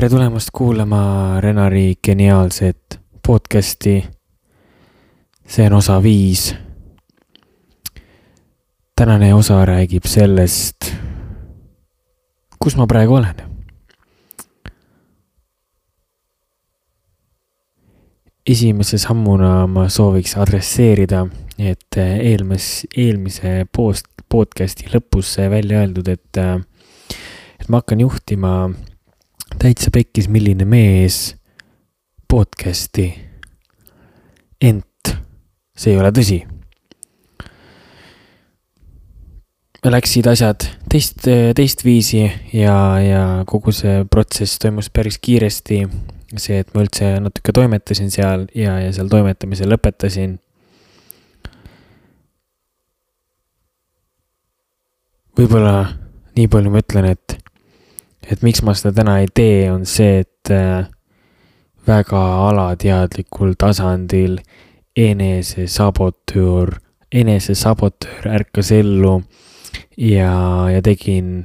tere tulemast kuulama Renari geniaalset podcasti. See on osa 5. Tänane osa räägib sellest, kus ma praegu olen. Esimese sammuna ma sooviks adresseerida, et eelmise podcasti lõpus välja öeldud, et ma hakkan juhtima täitsa pekkis milline mees podcasti. Ent see ei ole tõsi. Läksid asjad teist viisi ja kogu see protsess toimus päris kiiresti. See, et ma üldse natuke toimetasin seal ja seal toimetamise lõpetasin. Võib-olla nii palju ma ütlen, et miks ma seda täna ei tee, on see, et väga alateadlikul tasandil enesesabotöör ärkas ellu ja tegin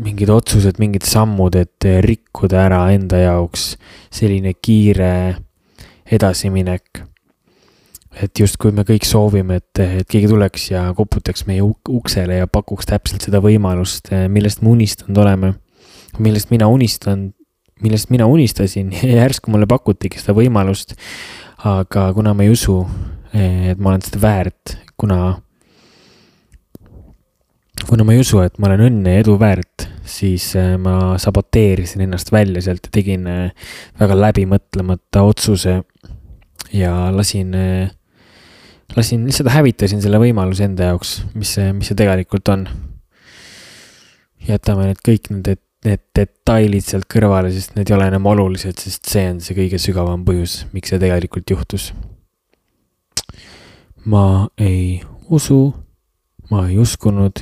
mingid otsused, mingid sammud, et rikkuda ära enda jaoks selline kiire edasiminek. Et just kui me kõik soovime, et keegi tuleks ja koputaks meie uksele ja pakuks täpselt seda võimalust, millest me unistanud oleme, millest mina unistasin ja järsku mulle pakutigi seda võimalust, aga kuna ma ei usu, et ma olen seda väärt, kuna ma ei usu, et ma olen õnne ja edu väärt, siis ma saboteerisin ennast välja sealt ja tegin väga läbimõtlemata otsuse ja lihtsalt hävitasin selle võimaluse enda jaoks, mis see tegelikult on. Jätame kõik need detailid sealt kõrvale, sest need ei ole enam olulised, sest see on see kõige sügavam põhjus, miks see tegelikult juhtus. Ma ei uskunud,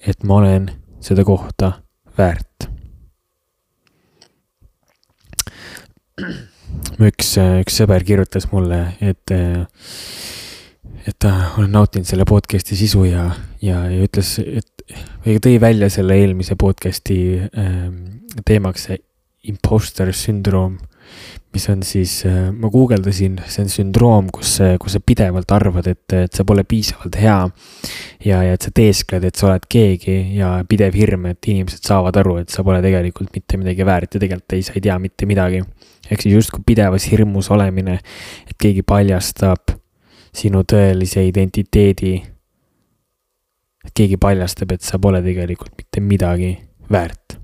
et ma olen seda kohta väärt. Üks sõber kirjutas mulle, et ta olen nautinud selle podcasti sisu ja ütles, või tõi välja selle eelmise podcasti teemaks imposter syndroom, mis on siis, ma guugeldasin, see on sündroom, kus sa pidevalt arvad, et sa pole piisavalt hea ja et sa teeskled, et sa oled keegi ja pidev hirm, et inimesed saavad aru, et sa pole tegelikult mitte midagi väärt ja tegelikult sa ei tea mitte midagi. Ehk siis just kui pidevas hirmus olemine, et keegi paljastab sinu tõelise identiteedi, et keegi paljastab, et sa pole tegelikult mitte midagi väärt.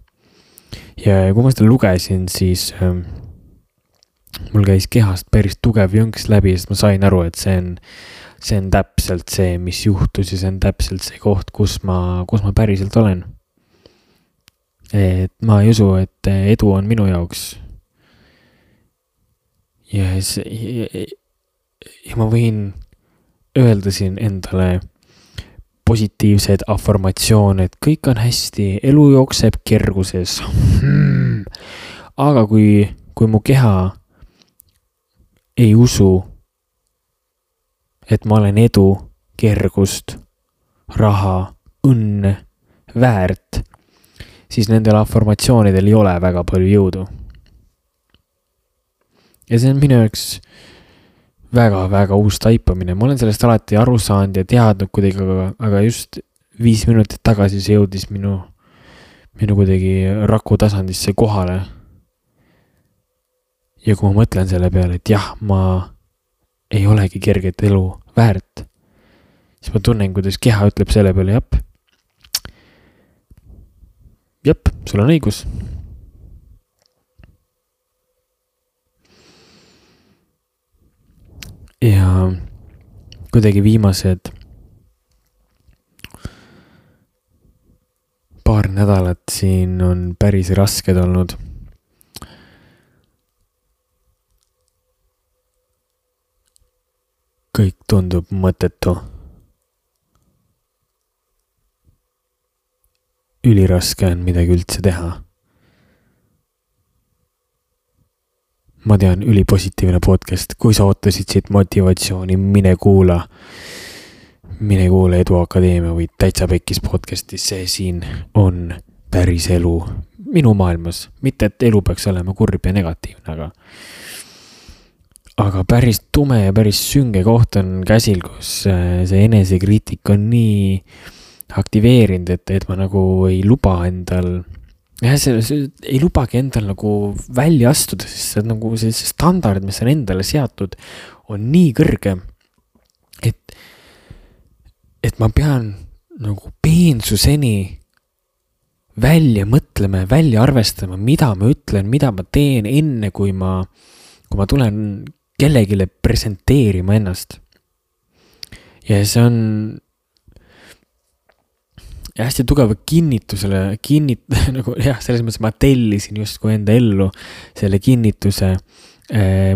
Ja kui ma seda lugesin, siis mul käis kehast päris tugev jõnks läbi, sest ma sain aru, et see on täpselt see, mis juhtus ja see on täpselt see koht, kus ma päriselt olen. Et ma ei usu, et edu on minu jaoks. Ja ma võin öelda siin endale positiivsed afformatsioon, et kõik on hästi, elu jookseb kerguses. Aga kui mu keha ei usu, et ma olen edu, kergust, raha, õnne, väärt, siis nendel afformatsioonidel ei ole väga palju jõudu. Ja see on minu jaoks väga uus taipamine. Ma olen sellest alati aru saanud ja teadnud kuidagi, aga just 5 minutit tagasi see jõudis minu kuidagi raku tasandisse kohale. Ja kui ma mõtlen selle peale, et jah, ma ei olegi kerget elu väärt, siis ma tunnen, kuidas keha ütleb selle peale, jep, sul on õigus. Ja kuidagi viimased paar nädalat siin on päris rasked olnud. Kõik tundub mõttetu. Üliraske on midagi üldse teha. Ma tean, ülipositiivne podcast. Kui sa ootasid siit motivatsiooni, mine kuula Edu Akadeemia või Täitsa Pekkis podcastis. See siin on päris elu. minu maailmas, mitte et elu peaks olema kurb ja negatiivne, aga päris tume ja päris sünge koht on käsil, kus see enesekriitik on nii aktiveerinud, et ma nagu ei luba endal, ei lubagi endal nagu välja astuda, sest see nagu see standard, mis on endale seatud, on nii kõrge, et ma pean nagu peensuseni välja mõtlema ja välja arvestama, mida ma ütlen, mida ma teen enne, kui ma tulen kellegile presenteerima ennast. Ja see on hästi tugeva kinnitusele, nagu jah, selles mõttes ma tellisin justkui enda ellu selle kinnituse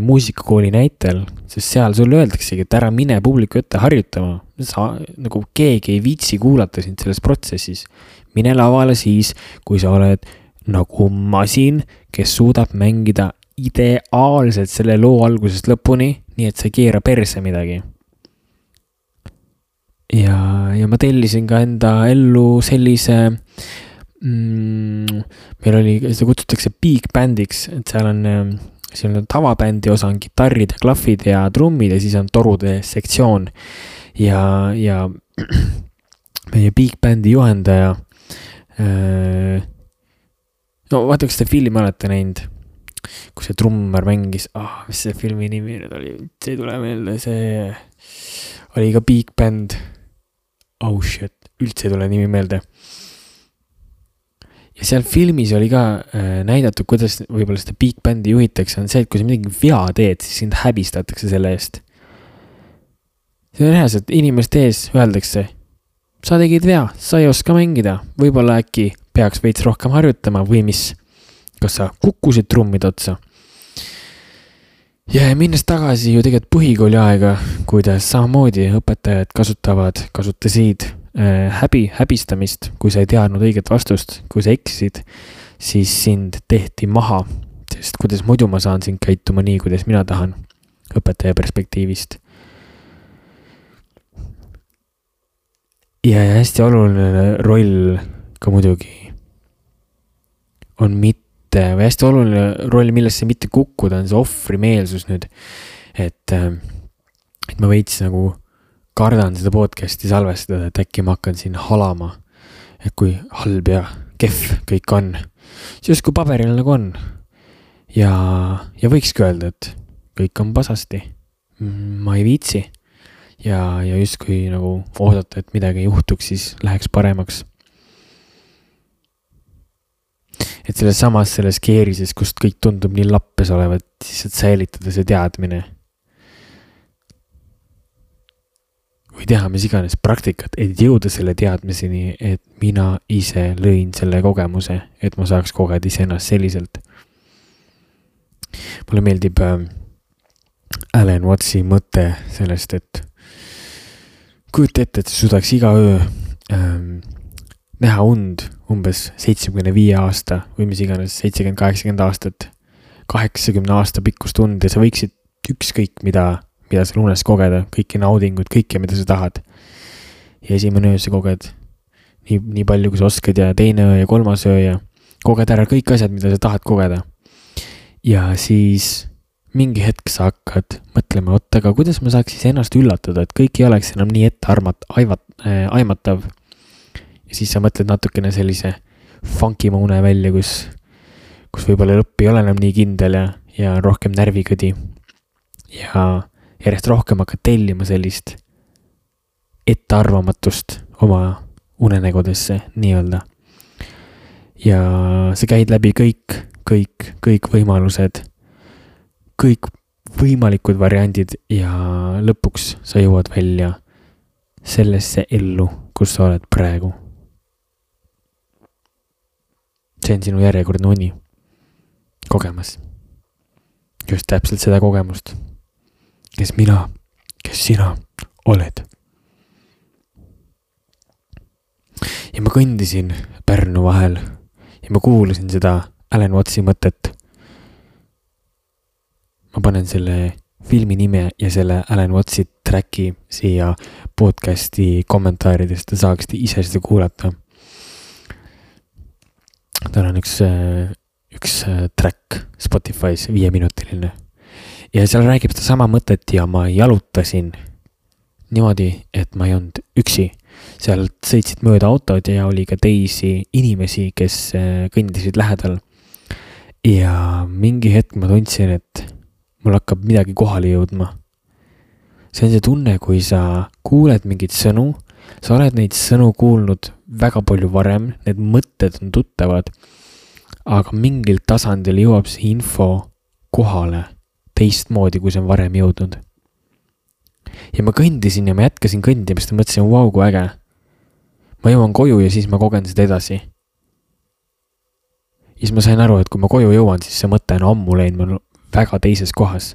muusikakooli näitel, sest seal sulle öeldaksegi, et ära mine publiku ette harjutama. Nagu keegi ei viitsi kuulata sind selles protsessis. Mine lavale siis, kui sa oled nagu masin, kes suudab mängida ideaalselt selle loo algusest lõpuni, nii et sa ei keera perse midagi. Ja ma tellisin ka enda ellu sellise, meil oli, seda kutsutakse big bandiks, et seal on tavabändi osa on kitarrid ja klahvid ja trummid ja siis on torude sektsioon ja meie big bandi juhendaja no vaata, kas te filmi olete näinud, kus see trummar mängis, mis see filmi nimi nüüd oli, see ei tule meelde, see oli ka big band, üldse ei tule nimi meelde. Ja seal filmis oli ka näidatud, kuidas võib-olla seda big bandi juhitakse, on see, et kui sa midagi vea teed, siis sind häbistatakse selle eest. See on reaalselt, inimeste ees öeldakse, sa tegid vea, sa ei oska mängida, võib-olla äkki peaks veits rohkem harjutama või mis, kas sa kukkusid trummid otsa. Ja minnes tagasi ju tegelikult põhikooli aega, kuidas samamoodi õpetajad kasutasid häbistamist, kui sa ei teadnud õiget vastust, kui sa eksisid, siis sind tehti maha, sest kuidas muidu ma saan sind käituma nii, kuidas mina tahan õpetaja perspektiivist. Ja hästi oluline roll ka muidugi on või hästi oluline roll, millesse mitte kukkuda, on see ohvrimeelsus nüüd, et ma veits nagu kardan seda podcasti salvestada, et äkki ma hakkan siin halama, et kui halb ja kehv kõik on, siis kui paberil nagu on ja võikski öelda, et kõik on pasasti, ma ei viitsi ja justkui nagu oodata, et midagi ei juhtuks, siis läheks paremaks. Et selles keerises, kust kõik tundub nii lappes olevat, siis et säilitada see teadmine. Või teha mis iganes praktikat, et jõuda selle teadmiseni, et mina ise lõin selle kogemuse, et ma saaks kogeda ise ennast selliselt. Mulle meeldib Alan Wattsi mõte sellest, et kujuta ette, et sa suudaks iga öö näha und umbes 75 aasta või mis iganes 70-80 aastat, 80 aasta pikkust und ja sa võiksid ükskõik mida sa unes kogeda, kõiki naudingut, kõike, mida sa tahad. Ja esimene öö sa koged nii palju, kui sa oskad ja teine öö ja kolmas öö ja koged ära kõik asjad, mida sa tahad kogeda. Ja siis mingi hetk sa hakkad mõtlema, aga kuidas ma saaks siis ennast üllatada, et kõik ei oleks enam nii ette aimatav. Ja siis sa mõtled natukene sellise funkima une välja, kus võib-olla lõpp ei ole enam nii kindel ja rohkem närvikõdi. Ja järjest rohkem hakkad tellima sellist ettearvamatust oma unenägudesse nii-öelda. Ja sa käid läbi kõik võimalused, kõik võimalikud variandid ja lõpuks sa jõuad välja sellesse ellu, kus sa oled praegu. See on sinu järjekordne uni kogemas. Just täpselt seda kogemust. Kes sina oled. Ja ma kõndisin Pärnu vahel ja ma kuulasin seda Alan Wattsi mõtet. Ma panen selle filmi nime ja selle Alan Wattsi tracki siia podcasti kommentaaridest ja saaksite ise seda kuulata. tal on üks track Spotify's 5-minutiline. Ja seal räägib seda sama mõtet ja ma jalutasin niimoodi, et ma ei olnud üksi. Seal sõitsid mööda autod ja oli ka teisi inimesi, kes kõndisid lähedal. Ja mingi hetk ma tundsin, et mul hakkab midagi kohale jõudma. See on see tunne, kui sa kuuled mingit sõnu, sa oled neid sõnu kuulnud väga palju varem, need mõtted on tuttavad, aga mingil tasandil jõuab see info kohale teistmoodi, kui see on varem jõudnud. Ja ma kõndisin ja ma jätkasin kõndimist ja mõtlesin, vau, kui äge. Ma jõuan koju ja siis ma kogen seda edasi. Ja siis ma sain aru, et kui ma koju jõuan, siis see mõte on ammu läinud mul väga teises kohas.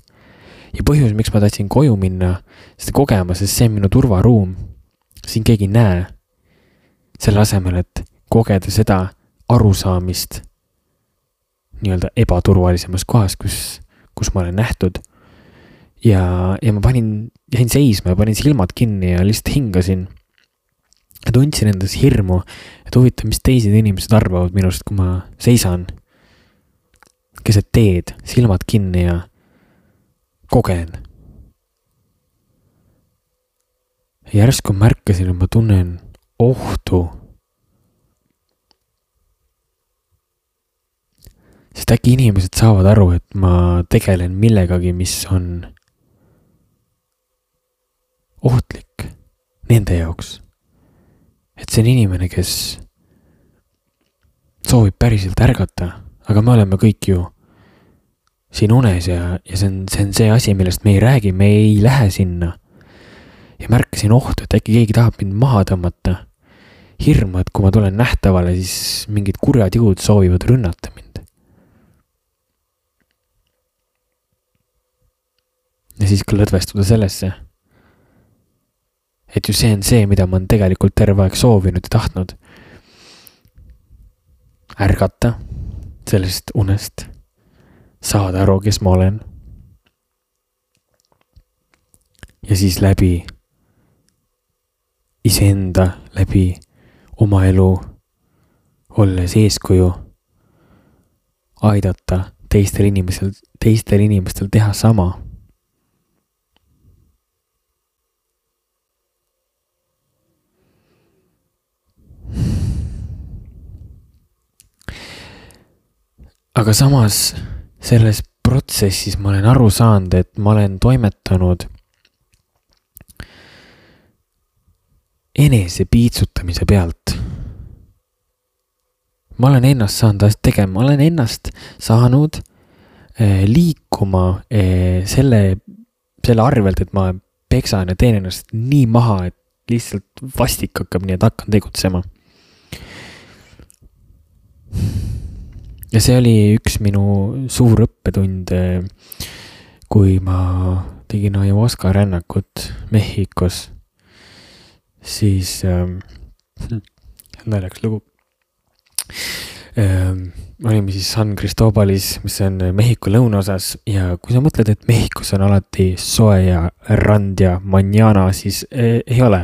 Ja põhjus, miks ma tahtsin koju minna, seda kogema, sest see on minu turvaruum. Siin keegi ei näe. Selle asemel, et kogeda seda arusaamist nii-öelda ebaturvalisemas kohas, kus ma olen nähtud. Ja ma jäin seisma ja panin silmad kinni ja lihtsalt hingasin. Ja tundsin endas hirmu, et huvitav, mis teised inimesed arvavad minust, kui ma seisan. Keset teed, silmad kinni ja kogen. Ja järsku märkasin, et ma tunnen ohtu. Sest äkki inimesed saavad aru, et ma tegelen millegagi, mis on ohtlik nende jaoks. Et see on inimene, kes soovib päriselt ärgata, aga me oleme kõik ju siin unes ja see on see asi, millest me ei räägi, me ei lähe sinna. Ja märkasin ohtu, et äkki keegi tahab mind maha tõmmata. Hirmu, et kui ma tulen nähtavale, siis mingid kurjad jõud soovivad rünnata mind. Ja siis ka lõdvestuda sellesse, et ju see on see, mida ma olen tegelikult terve aeg soovinud ja tahtnud. Ärgata sellest unest, saada aru, kes ma olen. Ja siis läbi iseenda, läbi oma elu, olles eeskuju, aidata teistel inimestel teha sama. Aga samas selles protsessis ma olen aru saanud, et ma olen toimetanud enese piitsutamise pealt. Ma olen ennast saanud tegema, ma olen ennast saanud liikuma selle arvelt, et ma peksan ja teen ennast nii maha, et lihtsalt vastik hakkab, nii et hakkan tegutsema. Ja see oli üks minu suur õppetund, kui ma tegin ayahuasca rännakut Mehhikos, siis naljakas lugu. Olime siis San Cristobalis, mis on Mehhiko lõunaosas ja kui sa mõtled, et Mehhikos on alati soe ja rand ja manjana, siis ei ole.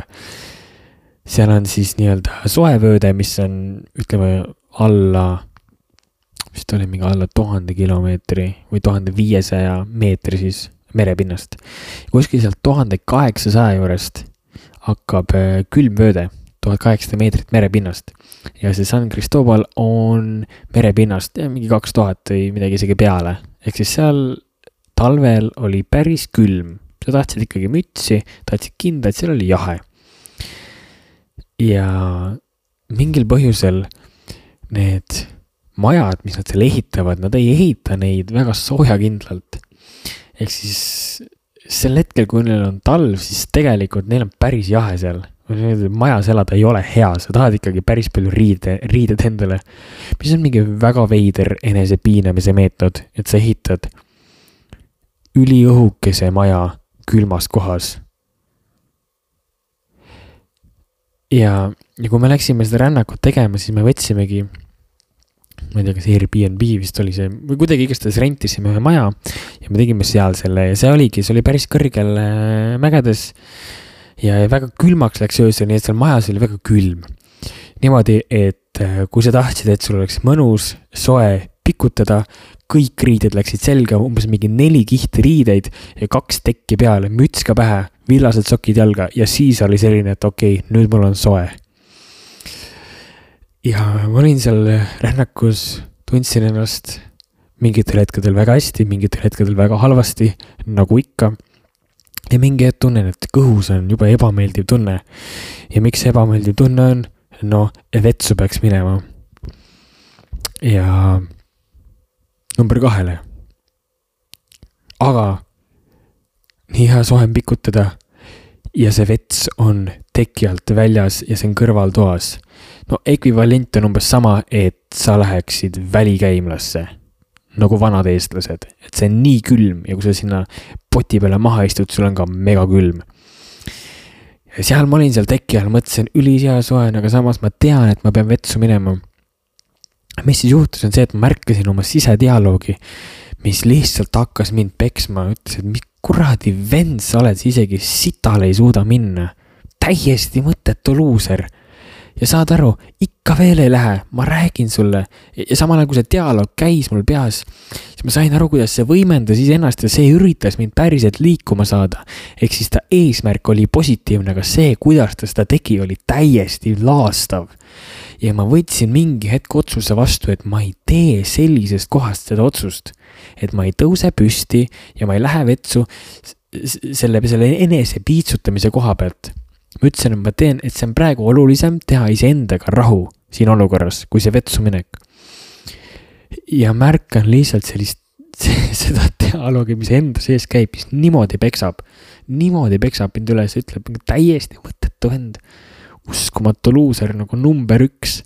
Seal on siis nii-öelda soevööde, mis on, ütleme, vist oli mingi alla 1000 kilomeetri või 1500 meetri siis merepinnast. Kuskil sealt 1800 juurest hakkab külmvööde, 1800 meetrit merepinnast. Ja see San Cristobal on merepinnast mingi 2000 või midagi isegi peale. Ehk siis seal talvel oli päris külm. Sa tahtsid ikkagi mütsi, tahtsid kindlad, seal oli jahe. Ja mingil põhjusel need majad, mis nad seal ehitavad, nad ei ehita neid väga soojakindlalt. Ehk siis sel hetkel, kui neil on talv, siis tegelikult neil on päris jahe seal. Majas elada ei ole hea, sa tahad ikkagi päris palju riided endale. Mis on mingi väga veider enese piinamise meetod, et sa ehitad üliõhukese maja külmas kohas. Ja kui me läksime seda rännakut tegema, siis me võtsimegi, ma ei tea, kas Airbnb vist oli see, või kuidagi igastades rentisime ühe maja ja me tegime seal selle ja see oli päris kõrgel mägedes ja väga külmaks läks öösel, nii et seal majas oli väga külm. Niimoodi, et kui sa tahtsid, et sul oleks mõnus, soe pikutada, kõik riided läksid selga, umbes mingi 4 kihti riideid ja 2 tekki peale, müts ka pähe, villased sokid jalga ja siis oli selline, et okei, nüüd mul on soe. Ja ma olin seal rännakus, tundsin ennast mingitel hetkedel väga hästi, mingitel hetkedel väga halvasti, nagu ikka. Ja mingi hetk tunnen, et kõhus on juba ebameeldiv tunne. Ja miks ebameeldiv tunne on? No, vetsu peaks minema. Ja number 2. Aga nii hea sohem pikutada ja see vets on teki alt väljas ja see on kõrvaltoas. No ekvivalent on umbes sama, et sa läheksid välikäimlasse, nagu vanad eestlased. Et see on nii külm ja kui sa sinna poti peale maha istud, sul on ka mega külm. Ja seal ma olin seal teki all, mõtlesin ülisea soen, aga samas ma tean, et ma pean vetsu minema. Mis siis juhtus on see, et ma märkasin oma sisedialoogi, mis lihtsalt hakkas mind peksma, ütles, et mis kuradi vend sa oled, sa isegi sitale ei suuda minna. Täiesti mõttetu luuser. Ja saad aru, ikka veel ei lähe, ma räägin sulle. Ja samal ajal, kui see dialoog käis mul peas, siis ma sain aru, kuidas see võimendas iseennast ja see üritas mind päriselt liikuma saada. Ehk siis ta eesmärk oli positiivne, aga see, kuidas ta seda tegi, oli täiesti laastav. Ja ma võtsin mingi hetk otsuse vastu, et ma ei tee sellisest kohast seda otsust. Et ma ei tõuse püsti ja ma ei lähe vetsu selle enese piitsutamise koha pealt. Ma ütlesin, et ma teen, et see on praegu olulisem teha iseendaga rahu siin olukorras, kui see vetsu minek. Ja märkan lihtsalt seda dialoogi, mis enda sees käib, mis niimoodi peksab mind üles, ütleb täiesti mõttetu vend. Uskumatu luuser nagu number 1.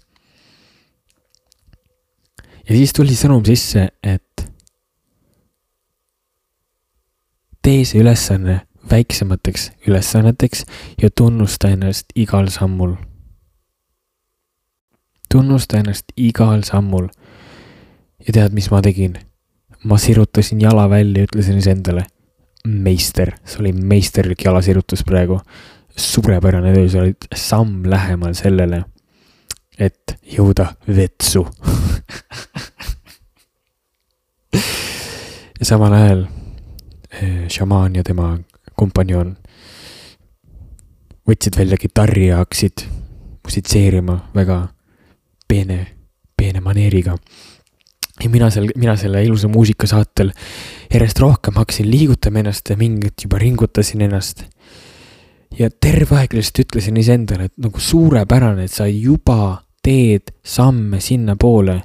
Ja siis tuli sõnum sisse, et tee see ülesanne väiksemateks ülesanneteks ja tunnusta ennast igal sammul. Tunnusta ennast igal sammul. Ja tead, mis ma tegin? Ma sirutasin jala välja ja ütlesin endale, meister, see oli meisterlik jalasirutus praegu. Suurepärane töö, sa olid samm lähemal sellele, et jõuda vetsu. Ja samal ajal šamaan ja tema kompanjon võtsid välja kitarri ja hakkasid musitseerima väga peene maneeriga. Ja mina selle ilusa muusika saatel järjest rohkem hakkasin liigutama ennast ja mingit juba ringutasin ennast. Ja terve aeg lihtsalt ütlesin iseendale, et nagu suurepärane, et sa juba teed samme sinna poole.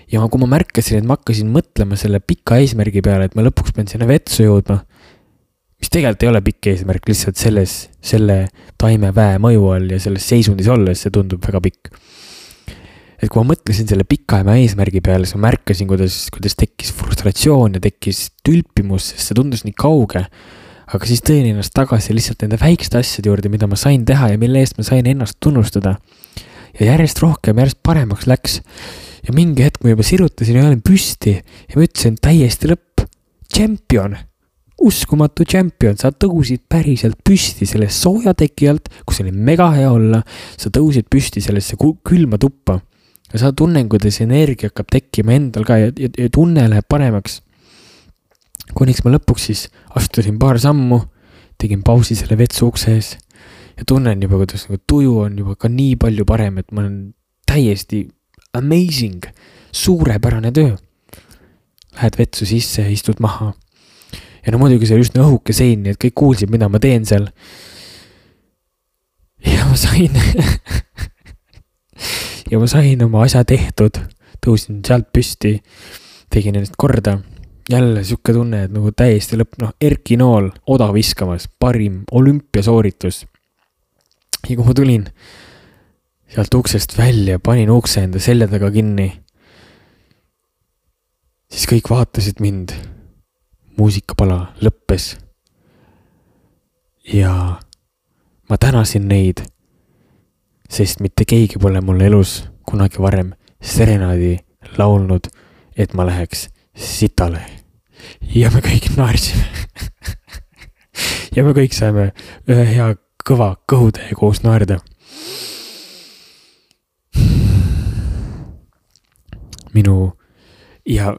Ja kui ma märkasin, et ma hakkasin mõtlema selle pika eesmärgi peale, et ma lõpuks pean sinna vetsu jõudma, mis tegelikult ei ole pikk eesmärk, lihtsalt selle taimeväe mõju all ja selles seisundis olles, see tundub väga pikk. Et kui ma mõtlesin selle pikaema eesmärgi peale, siis ma märkasin, kuidas tekkis frustratsioon ja tekkis tülpimus, sest see tundus nii kauge. Aga siis tõin ennast tagasi lihtsalt nende väikeste asjade juurde, mida ma sain teha ja mille eest ma sain ennast tunnustada. Ja järjest rohkem, järjest paremaks läks. Ja mingi hetk ma juba sirutasin ja olin püsti ja ma ütlesin täiesti lõpp. Champion, uskumatu champion, sa tõusid päriselt püsti selle sooja teki alt, kus oli mega hea olla, sa tõusid püsti sellesse külma tuppa. Ja sa tunnen, kuidas energia hakkab tekkima endal ka ja tunne läheb paremaks. Kuniks ma lõpuks siis astusin paar sammu, tegin pausi selle vetsu ukse ees ja tunnen juba, kuidas tuju on juba ka nii palju parem, et ma olen täiesti amazing, suurepärane töö. Lähed vetsu sisse ja istud maha. Ja no muidugi see oli just õhuke sein, nii et kõik kuulsid, mida ma teen seal. Ja ma sain oma asja tehtud, tõusin sealt püsti, tegin ennast korda. Jälle sükke tunne, et nagu täiesti lõpp, Erki Nool oda viskamas, parim olümpiasooritus. Ja kui ma tulin sealt uksest välja, panin ukse enda selja taga kinni, siis kõik vaatasid mind. Muusikapala lõppes. Ja ma tänasin neid, sest mitte keegi pole mulle elus kunagi varem serenaadi laulnud, et ma läheks sitale. Ja me kõik naarsime. Ja me kõik saime ühe hea kõva kõhutäie koos naerda. ja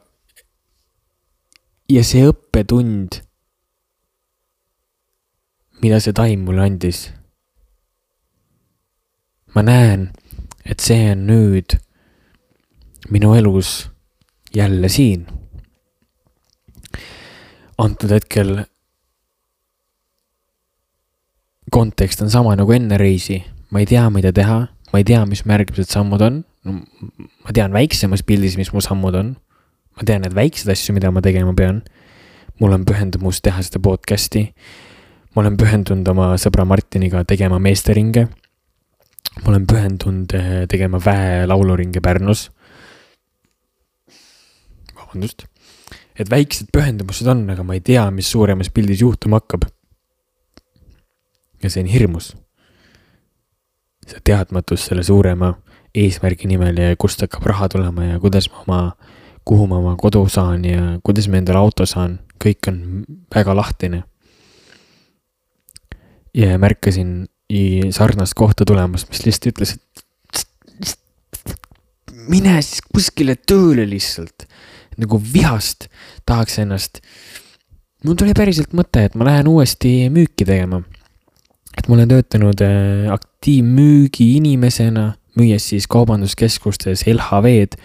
see õppetund, mida see taim mulle andis. Ma näen, et see on nüüd minu elus jälle siin. Antud hetkel kontekst on sama nagu enne reisi. Ma ei tea, mida teha. Ma ei tea, mis märgimised sammud on. Ma tean väiksemas pildis, mis mu sammud on. Ma tean need väiksed asju, mida ma tegema pean. Mul on pühendumus teha seda podcasti. Ma olen pühendunud oma sõbra Martiniga tegema meesteringe. Ma olen pühendunud tegema lauluringe Pärnus. Vabandust. Et väiksed pühendumused on, aga ma ei tea, mis suuremas pildis juhtuma hakkab. Ja see on hirmus. See teadmatus selle suurema eesmärgi nimel ja kust hakkab raha tulema ja kuhu ma oma kodu saan ja kuidas ma endale auto saan. Kõik on väga lahtine. Ja märkasin sarnast kohta tulemas, mis lihtsalt ütles, et mine siis kuskile tööle lihtsalt. Nagu vihast tahaks ennast. Mul tuli päriselt mõte, et ma lähen uuesti müüki tegema. Et ma olen töötanud aktiivmüügi inimesena, müües siis kaubanduskeskustes LHV-d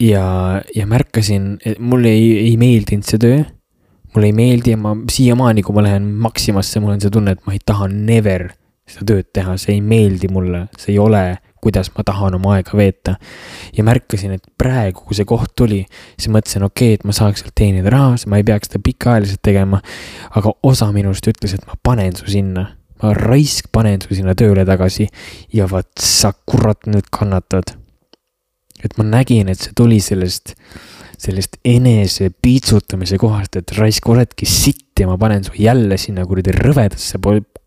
ja märkasin, et mulle ei meeldinud see töö. Mulle ei meeldi ja ma siiamaani, kui ma lähen Maximasse, mul on see tunne, et ma ei taha never seda tööd teha. See ei meeldi mulle, see ei ole, kuidas ma tahan oma aega veeta. Ja märkasin, et praegu, kui see koht tuli, siis mõtlesin, et ma saaks sealt teenida raha, ma ei peaks seda pikaajaliselt tegema, aga osa minust ütles, et ma panen su sinna. Ma panen su sinna tööle tagasi ja vaat sa kurat nüüd kannatad. Et ma nägin, et see tuli sellest enese piitsutamise kohast, et oledki sitt ja ma panen su jälle sinna kuradi rõvedasse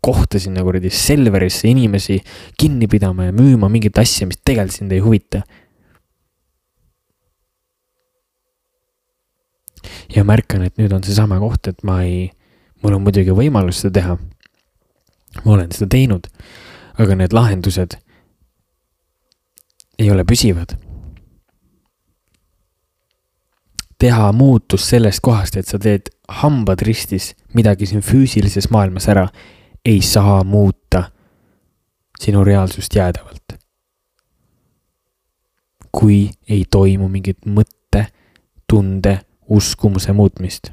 kohta sinna kuradi Selverisse inimesi kinni pidama ja müüma mingit asja, mis tegelikult sind ei huvita. Ja märkan, et nüüd on see sama koht, et mul on muidugi võimalus seda teha. Ma olen seda teinud, aga need lahendused ei ole püsivad. Teha muutus sellest kohast, et sa teed hambad ristis midagi siin füüsilises maailmas ära, ei saa muuta sinu reaalsust jäädavalt. Kui ei toimu mingit mõtte, tunde, uskumuse muutmist.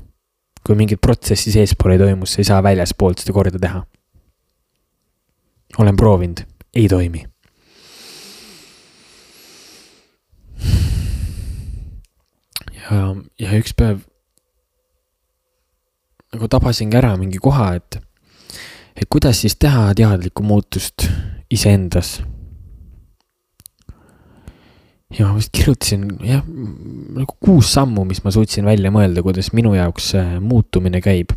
Kui mingit protsessi seespool ei toimu, sa ei saa väljaspoolt seda korda teha. Olen proovinud, ei toimi. Ja üks päev nagu tabasingi ära mingi koha, et kuidas siis teha teadlikku muutust iseendas. Ja ma vist kirjutasin nagu 6 sammu, mis ma suutsin välja mõelda, kuidas minu jaoks muutumine käib.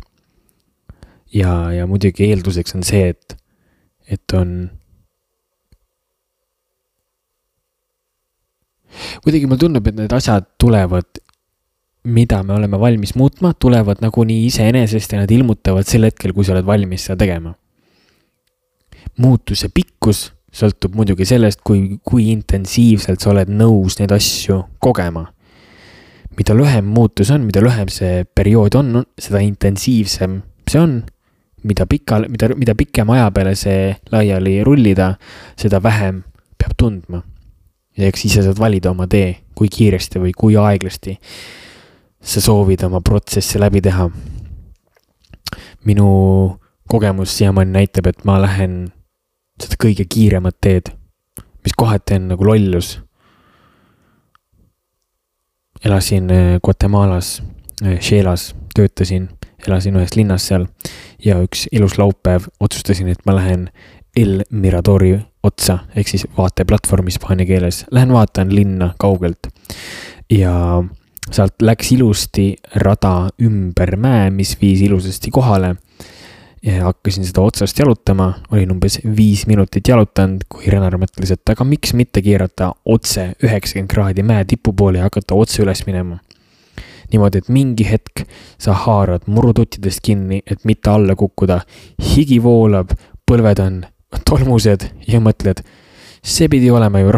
Ja muidugi eelduseks on see, et on kuidagi mul tundub, et need asjad tulevad, mida me oleme valmis muutma, tulevad nagu nii iseenesest ja nad ilmutavad sel hetkel, kui sa oled valmis seda tegema. Muutuse pikkus sõltub muidugi sellest, kui intensiivselt sa oled nõus neid asju kogema. Mida lühem muutus on, mida lühem see periood on, seda intensiivsem see on. Mida pikem aja peale see laiali rullida, seda vähem peab tundma. Ja eks ise saad valida oma tee, kui kiiresti või kui aeglasti sa soovid oma protsessi läbi teha. Minu kogemus siiamaani näitab, et ma lähen seda kõige kiiremat teed, mis kohati on nagu lollus. Elasin Guatemalas, Sheelas, töötasin, elasin ühes linnas seal ja üks ilus laupäev otsustasin, et ma lähen El Miradori otsa, ehk siis vaateplatvorm hispaania keeles. Lähen vaatan linna kaugelt ja sealt läks ilusti rada ümber mäe, mis viis ilusasti kohale. Ja hakkasin seda otsast jalutama, olin umbes 5 minutit jalutanud, kui Renar mõtles, et aga miks mitte keerata otse 90 kraadi mäe tipu poole ja hakata otse üles minema. Niimoodi, et mingi hetk sa haarad murututtidest kinni, et mitte alla kukkuda, higi voolab, põlved on tolmused ja mõtled, see pidi olema ju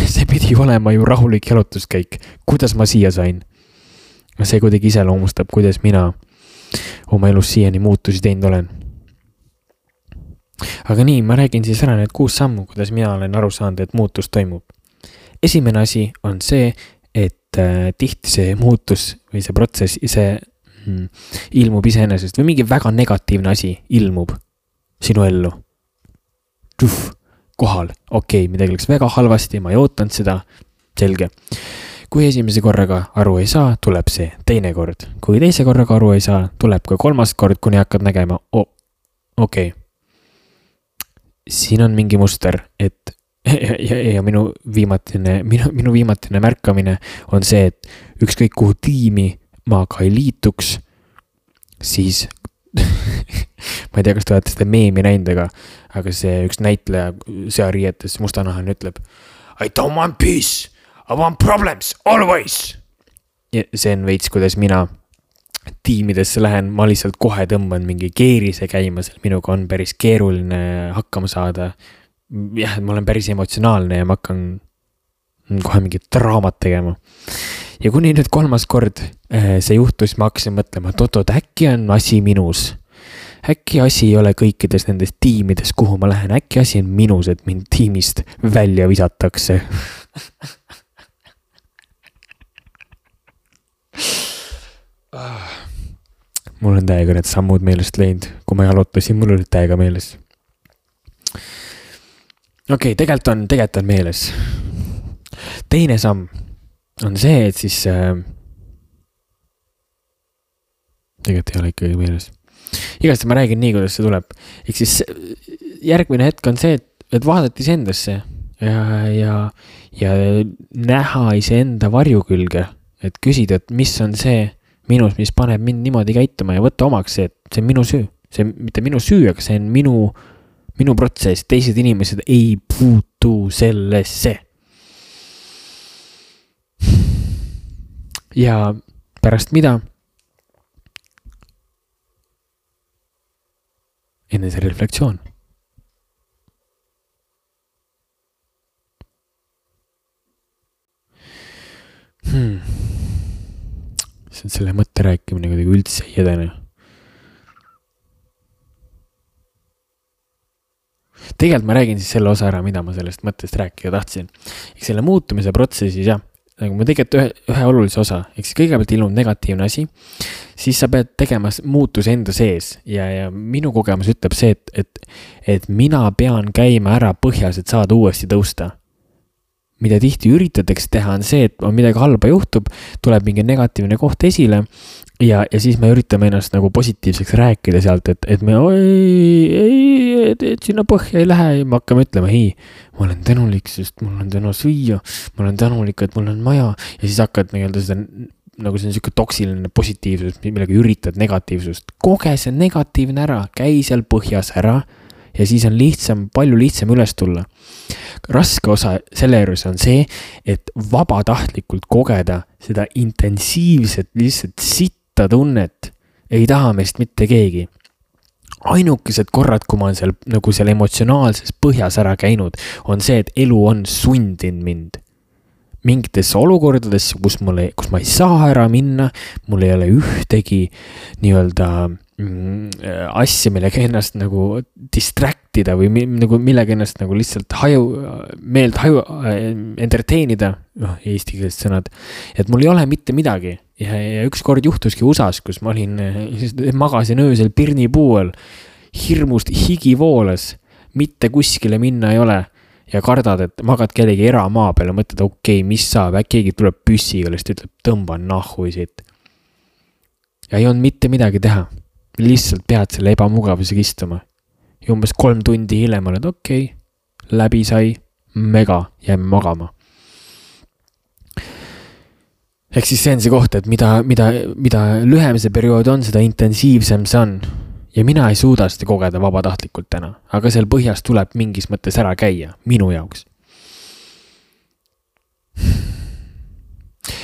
see pidi olema ju rahulik jalutuskäik. Kuidas ma siia sain? See kuidagi iseloomustab, kuidas mina oma elus siiani muutusi teinud olen. Aga nii, ma räägin siis ära need 6 sammu, kuidas mina olen aru saanud, et muutus toimub. Esimene asi on see, et tihti see muutus või see protsess, see ilmub iseenesest või mingi väga negatiivne asi ilmub sinu ellu. Kohal, okei, midagi läks väga halvasti, ma ei ootanud seda, selge. Kui esimese korraga aru ei saa, tuleb see teine kord. Kui teise korraga aru ei saa, tuleb ka 3. kord, kuni hakkad nägema, okei. Siin on mingi muster, et ja minu viimatine märkamine on see, et ükskõik kuhu tiimi ma ka ei liituks, siis ma ei tea, kas te olete seda meemi näinud, aga see üks näitleja seariietes mustanahaline ütleb I don't want peace, I want problems, always. Ja see on veits, kuidas mina tiimidesse lähen, ma lihtsalt kohe tõmban mingi keerise käima, minuga on päris keeruline hakkama saada. Jah, ma olen päris emotsionaalne ja ma hakkan kohe mingit draamat tegema. Ja kuni nüüd 3. kord see juhtus, ma hakkasin mõtlema, et äkki on asi minus. Äkki asi ei ole kõikides nendes tiimides, kuhu ma lähen. Äkki asi on minus, et mind tiimist välja visatakse. Mul on täiega need sammud meelest leid. Kui ma jalutasin, mul oli täiega meeles. Okei, tegelikult on meeles. Teine samm on see, et siis tegelikult ei ole ikkagi meeles. Igast ma räägin nii, kuidas see tuleb. Ehk siis järgmine hetk on see, et vaadati endasse ja näha iseenda varju külge, et küsida, et mis on see minus, mis paneb mind niimoodi käituma ja võtta omaks see, et see on minu süü. See on mitte minu süü, aga see on minu protsess. Teised inimesed ei puutu sellesse. Ja pärast mida? Enne see reflektsioon. See on selle mõtte rääkimine kuidagi üldse ei edene. Tegelikult ma räägin siis selle osa ära, mida ma sellest mõttest rääkida tahtsin. Eks selle muutumise protsessis, jah, nagu ma tegelikult ühe olulise osa, eks kõigepealt ilmub negatiivne asi, siis sa pead tegema muutus enda sees ja minu kogemus ütleb see, et mina pean käima ära põhjas, et saada uuesti tõusta. Mida tihti üritatakse teha on see, et midagi halba juhtub, tuleb mingi negatiivne koht esile ja siis me üritame ennast nagu positiivseks rääkida sealt, et me et sinna põhja ei lähe ja me hakkame ütlema, ma olen tänulik, sest mul on täna süüa, ma olen tänulik, et mul on maja ja siis hakkad seda, nagu see on selline toksiline positiivsus, millega üritad negatiivsust. Koge see negatiivne ära, käi seal põhjas ära ja siis on palju lihtsam üles tulla. Raske osa selle juures on see, et vabatahtlikult kogeda seda intensiivset lihtsalt sitta tunnet ei taha meist mitte keegi. Ainukesed korrad, kui ma olen seal emotsionaalses põhjas ära käinud, on see, et elu on sundinud mind. Mingites olukordades, kus ma ei saa ära minna, mul ei ole ühtegi nii-öelda asja, millega ennast nagu distraktida või millega ennast nagu lihtsalt entertainida, eesti keelest sõnad, et mul ei ole mitte midagi. Ja üks kord juhtuski USAs, kus ma magasin öösel pirnipuuel, hirmust higi voolas, mitte kuskile minna ei ole ja kardad, et magad kellegi eramaa peale, mõtled, okei, mis saab, keegi tuleb püssiga, lihtsalt ütleb, tõmban nahhui siit. Ja ei olnud mitte midagi teha. Lihtsalt pead selle ebamugavusega istuma. Ja umbes 3 tundi hiljem oled, okei, läbi sai, mega, jääme magama. Ehk siis see on see koht, et mida lühem see periood on, seda intensiivsem see on. Ja mina ei suuda seda kogeda vabatahtlikult täna, aga seal põhjas tuleb mingis mõttes ära käia, minu jaoks.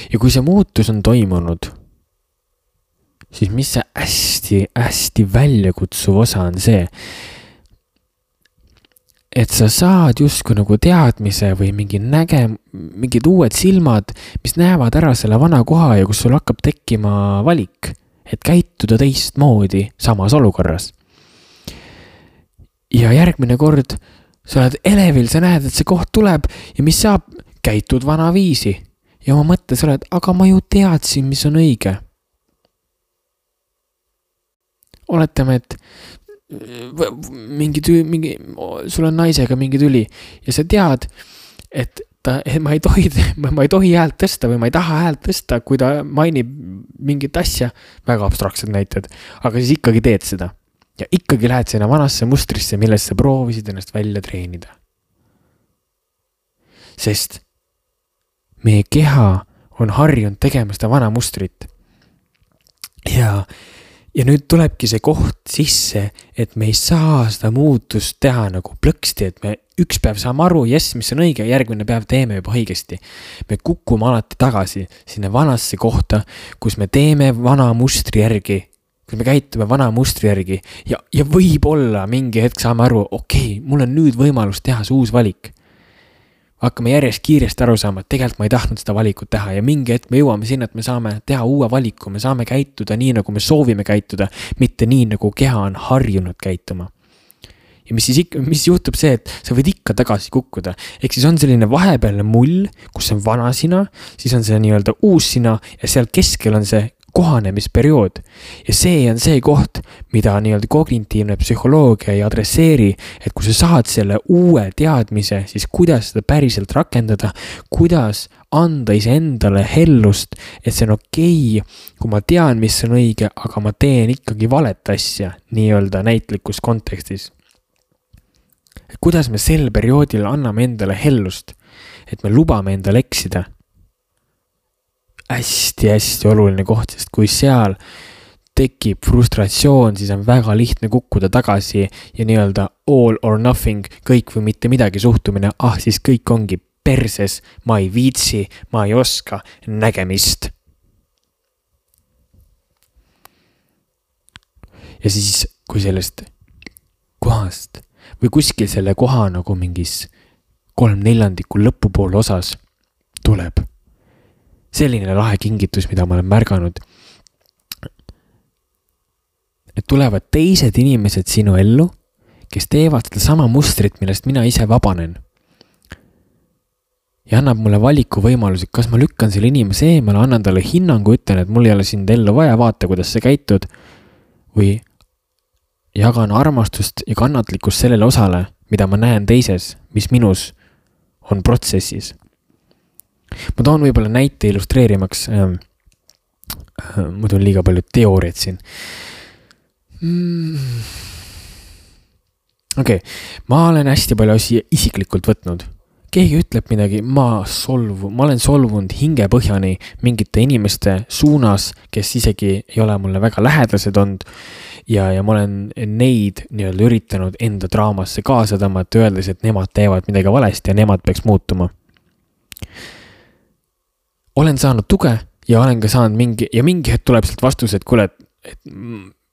Ja kui see muutus on toimunud, siis mis see hästi väljakutsuv osa on see, et sa saad justkui nagu teadmise või mingid uued silmad, mis näevad ära selle vana koha ja kus sul hakkab tekkima valik, et käituda teistmoodi samas olukorras. Ja järgmine kord sa oled elevil, sa näed, et see koht tuleb ja mis saab, käitud vana viisi. Ja oma mõttes oled, aga ma ju teadsin, mis on õige. Oletame, et sul on naisega mingi tüli ja sa tead, et ma ei tohi häält tõsta või ma ei taha häält tõsta, kui ta mainib mingit asja, väga abstraktsed näited, aga siis ikkagi teed seda. Ja ikkagi lähed sinna vanasse mustrisse, millest sa proovisid ennast välja treenida. Sest meie keha on harjunud tegema seda vana mustrit. Ja nüüd tulebki see koht sisse, et me ei saa seda muutust teha nagu plõksti, et me üks päev saame aru, mis on õige, järgmine päev teeme juba õigesti. Me kukume alati tagasi sinna vanasse kohta, kus me teeme vana mustri järgi, kus me käitume vana mustri järgi ja võib-olla mingi hetk saame aru, okei, mul on nüüd võimalus teha see uus valik. Hakkame järjest kiiresti aru saama, et tegelikult ma ei tahtnud seda valikut teha ja mingi hetk me jõuame sinna, et me saame teha uue valiku, me saame käituda nii, nagu me soovime käituda, mitte nii, nagu keha on harjunud käituma. Ja mis juhtub see, et sa võid ikka tagasi kukkuda. Ehk siis on selline vahepealne mull, kus on vana sina, siis on see nii-öelda uus sina ja seal keskel on see kohanemisperiood. Ja see on see koht, mida nii-öelda kognitiivne psühholoogia ei adresseeri, et kui sa saad selle uue teadmise, siis kuidas seda päriselt rakendada, kuidas anda iseendale hellust, et see on okei, kui ma tean, mis on õige, aga ma teen ikkagi valet asja nii-öelda näitlikus kontekstis. Et kuidas me sel perioodil anname endale hellust, et me lubame endale eksida. Hästi oluline koht, sest kui seal tekib frustratsioon, siis on väga lihtne kukkuda tagasi ja nii-öelda all or nothing, kõik või mitte midagi suhtumine, siis kõik ongi perses, ma ei viitsi, ma ei oska, nägemist. Ja siis, kui sellest kohast või kuskil selle koha nagu mingis 3/4 lõpupoole osas tuleb selline lahe kingitus, mida ma olen märganud, et tulevad teised inimesed sinu ellu, kes teevad seda sama mustrit, millest mina ise vabanen. Ja annab mulle valiku võimalusi, kas ma lükkan selle inimese eemale, annan talle hinnangu, ütlen, et mul ei ole sind ellu vaja, vaata, kuidas sa käitud, või jagan armastust ja kannatlikkust sellele osale, mida ma näen teises, mis minus on protsessis. Ma toon võib-olla näite illustreerimaks, muidu on liiga palju teooriat siin. Okei, ma olen hästi palju asja isiklikult võtnud. Keegi ütleb midagi, ma olen solvunud hingepõhjani mingite inimeste suunas, kes isegi ei ole mulle väga lähedased olnud ja ma olen neid nii-öelda üritanud enda draamasse kaasa tõmmata, öeldes, et nemad teevad midagi valesti ja nemad peaks muutuma. Olen saanud tuge ja olen ka saanud mingi hetk tuleb sealt vastus, et kuule, et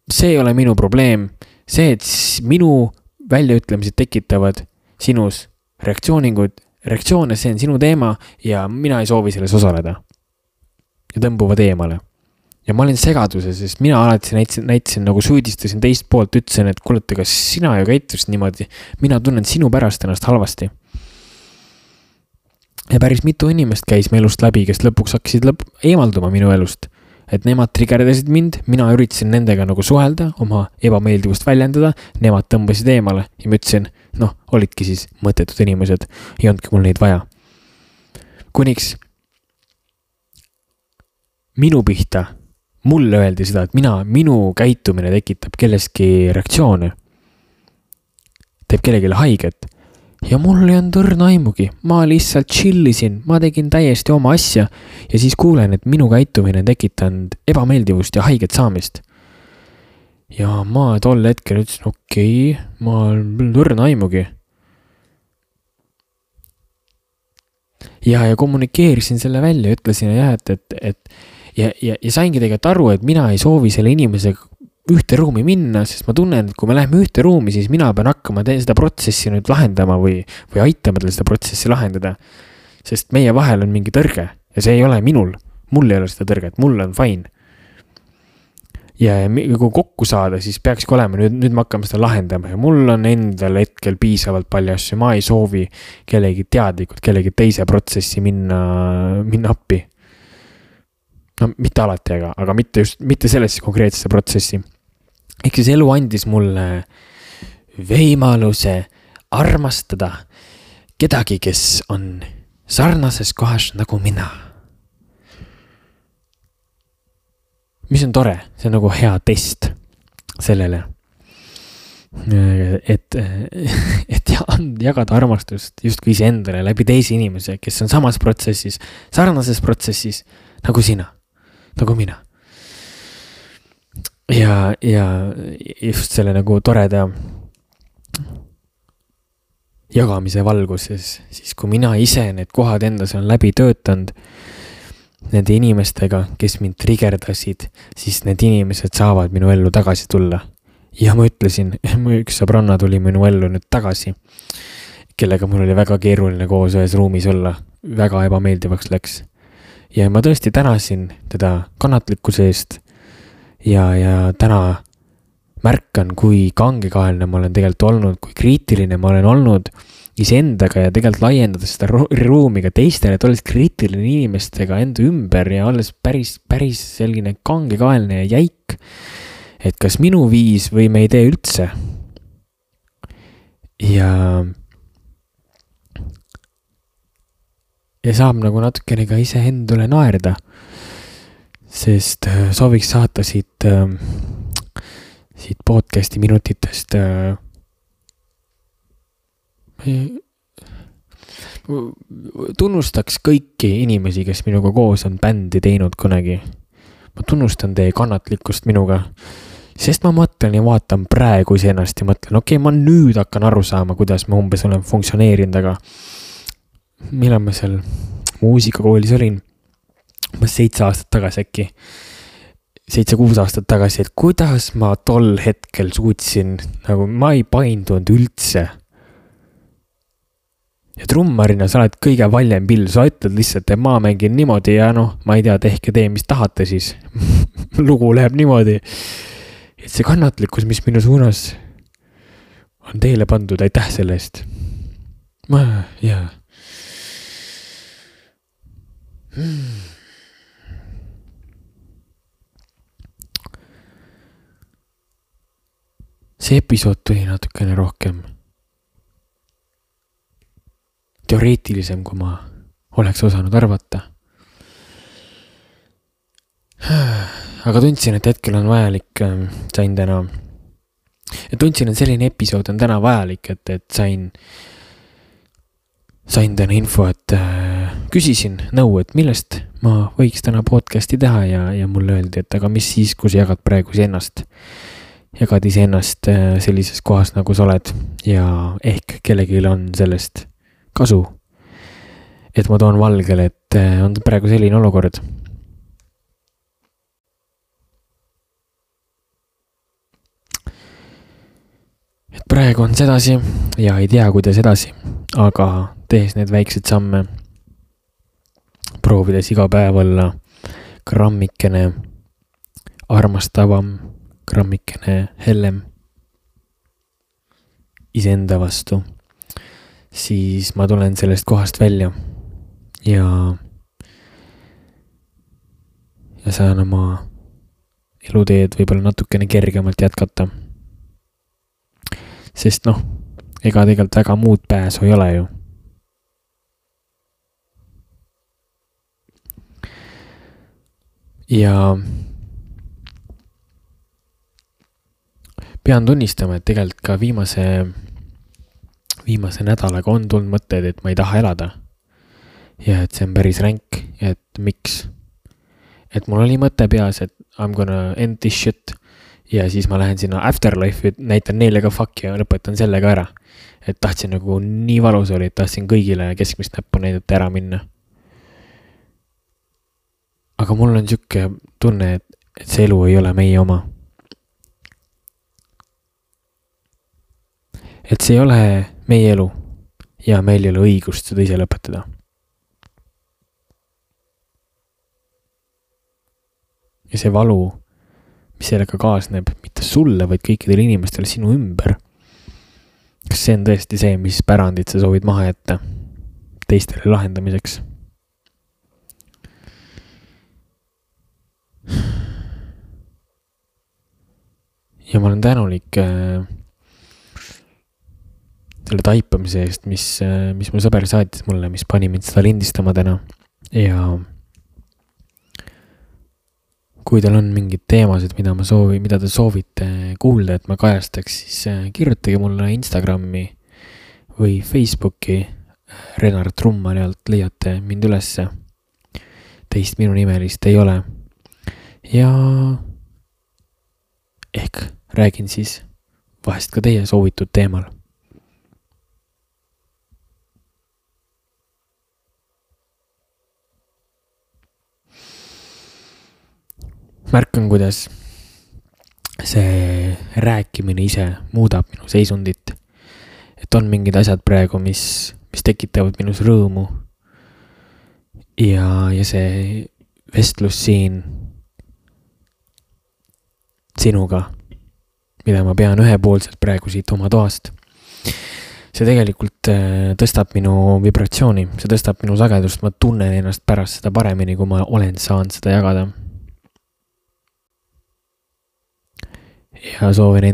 see ei ole minu probleem. See, et minu väljaütlemised tekitavad sinus reaktsioone, see on sinu teema ja mina ei soovi selles osaleda. Ja tõmbuvad eemale. Ja ma olin segaduses, sest mina alati näitasin nagu süüdistasin teist poolt, ütlesin, et kuule, kas sina ju käitusid niimoodi, mina tunnen sinu pärast ennast halvasti. Ja päris mitu inimest käis me elust läbi, kes lõpuks hakkasid eemalduma minu elust. Et nemad triggerdasid mind, mina üritasin nendega nagu suhelda, oma ebameeldivust väljendada, nemad tõmbasid eemale ja ma ütlesin, olidki siis mõttetud inimesed, ei olnudki mul neid vaja. Kuniks minu pihta, mulle öeldi seda, et minu käitumine tekitab kelleski reaktsioone, teeb kellelegi haiget. Ja mul ei olnud õrna aimugi, ma lihtsalt chillisin, ma tegin täiesti oma asja ja siis kuulen, et minu käitumine tekitanud ebameeldivust ja haiget saamist. Ja ma tol hetkel ütlesin, okei, ma õrna aimugi. Ja kommunikeerisin selle välja, ütlesin, et ja saingi tegelikult aru, et mina ei soovi selle inimesega ühte ruumi minna, sest ma tunnen, et kui me läheme ühte ruumi, siis mina pean hakkama seda protsessi nüüd lahendama või aitama tal seda protsessi lahendada. Sest meie vahel on mingi tõrge ja see ei ole minul. Mul ei ole seda tõrget, mul on fine. Ja kui kokku saada, siis peakski olema, nüüd me hakkame seda lahendama ja mul on endal hetkel piisavalt palju asju, ma ei soovi kellegi teadlikult, kellegi teise protsessi minna appi. No mitte alati, aga mitte sellesse konkreetsesse protsessi. Ehk siis elu andis mulle võimaluse armastada kedagi, kes on sarnases kohas nagu mina. Mis on tore, see on nagu hea test sellele, et jagada armastust justkui iseendale läbi teisi inimese, kes on samas protsessis, sarnases protsessis nagu sina, nagu mina. Ja just selle nagu toreda jagamise valguses, siis kui mina ise need kohad endas on läbi töötanud, nende inimestega, kes mind triggerdasid, siis need inimesed saavad minu ellu tagasi tulla. Ja ma ütlesin, üks sõbranna tuli minu ellu nüüd tagasi, kellega mul oli väga keeruline koos ühes ruumis olla, väga ebameeldivaks läks. Ja ma tõesti tänasin teda kannatlikkuse eest ja täna märkan, kui kangekaelne ma olen tegelikult olnud, kui kriitiline ma olen olnud iseendaga ja tegelikult laiendada seda ruumi ka teistele, et olles kriitiline inimestega enda ümber ja olles päris selline kangekaelne ja jäik, et kas minu viis või me ei tee üldse. Ja saab nagu natukene ka ise endale naerda, sest sooviks saata siit podcasti minutitest tunnustaks kõiki inimesi, kes minuga koos on bändi teinud kunagi. Ma tunnustan teie kannatlikkust minuga, sest ma mõtlen ja vaatan praegu iseennast ja mõtlen, okei, ma nüüd hakkan aru saama, kuidas ma umbes olen funktsioneerinud, aga millal ma seal muusikakoolis olin, ma 7 aastat tagasi äkki, 7-6 aastat tagasi, et kuidas ma tol hetkel suutsin, nagu ma ei paindunud üldse. Ja trummarina sa oled kõige valjem pill, sa ütled lihtsalt, et ma mängin niimoodi ja ma ei tea, tehke tee, mis tahate siis. Lugu läheb niimoodi. Et see kannatlikkus, mis minu suunas on teile pandud, aitäh selle eest. See episood tuli natukene rohkem teoreetilisem, kui ma oleks osanud arvata. Aga tundsin, et hetkel on vajalik, tundsin, et selline episood on täna vajalik, et sain täna info, et küsisin nõu, et millest ma võiks täna podcasti teha ja mulle öeldi, et aga mis siis, kui sa jagad praegu iseennast. Jagad iseennast sellises kohas, nagu sa oled ja ehk kellelgi on sellest kasu, et ma toon valgele, et on praegu selline olukord. Et praegu on sedasi ja ei tea, kuidas edasi, aga tehes need väiksed samme, proovides iga päev olla grammikene armastavam, grammikene hellem iseenda vastu, siis ma tulen sellest kohast välja ja saan oma eluteed võib-olla natukene kergemalt jätkata. Sest ega tegelikult väga muud pääsu ei ole ju. Ja pean tunnistama, et tegelikult ka viimase nädalaga on tulnud mõtted, et ma ei taha elada. Ja et see on päris ränk, et miks. Et mul oli mõte peas, et I'm gonna end this shit. Ja siis ma lähen sinna afterlife, näitan neile ka fuck ja lõpetan sellega ära. Et tahtsin nagu nii valus oli, et tahtsin kõigile keskmist näppu näidata ära minna. Aga mul on siuke tunne, et see elu ei ole meie oma. et see ei ole meie elu ja meil ei ole õigust seda ise lõpetada. Ja see valu, mis sellega kaasneb, mitte sulle, vaid kõikidele inimestele sinu ümber. Kas see on tõesti see, mis pärandit sa soovid maha jätta teistele lahendamiseks? Ja ma olen tänulik selle taipamise eest, mis mu sõber saatis mulle, mis pani mind seda lindistama täna. Ja kui teil on mingid teemasid, mida te soovite kuulda, et ma kajastaks, siis kirjutage mulle Instagrami või Facebooki. Renar Trummani alt leiate mind ülesse. Teist minu nimelist ei ole. Ja ehk räägin siis vahest ka teie soovitud teemal. Märkan, kuidas see rääkimine ise muudab minu seisundit. Et on mingid asjad praegu, mis tekitavad minus rõõmu. Ja see vestlus siin sinuga, mida ma pean ühepoolselt praegu siit oma toast. See tegelikult tõstab minu vibratsiooni, see tõstab minu sagedust, ma tunnen ennast pärast seda paremini, kui ma olen saanud seda jagada. Ja soovin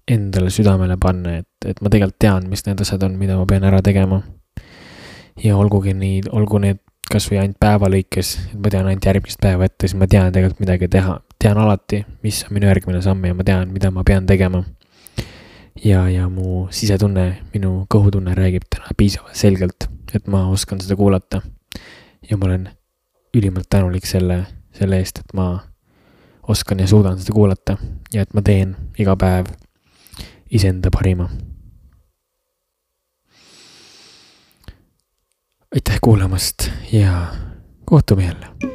endale südamele panna, et ma tegelikult tean, mis need asjad on, mida ma pean ära tegema. Ja olgu need kas või ainult päeva lõikes, et ma tean ainult järgmist päeva ette, siis ma tean tegelikult midagi teha. Tean alati, mis on minu järgmine samm ja ma tean, mida ma pean tegema. Ja mu sisetunne, minu kõhutunne räägib täna piisavalt selgelt, et ma oskan seda kuulata. Ja ma olen ülimalt tänulik selle eest, et ma oskan ja suudan seda kuulata ja et ma teen iga päev iseenda parima. Aitäh kuulamast ja kohtume jälle.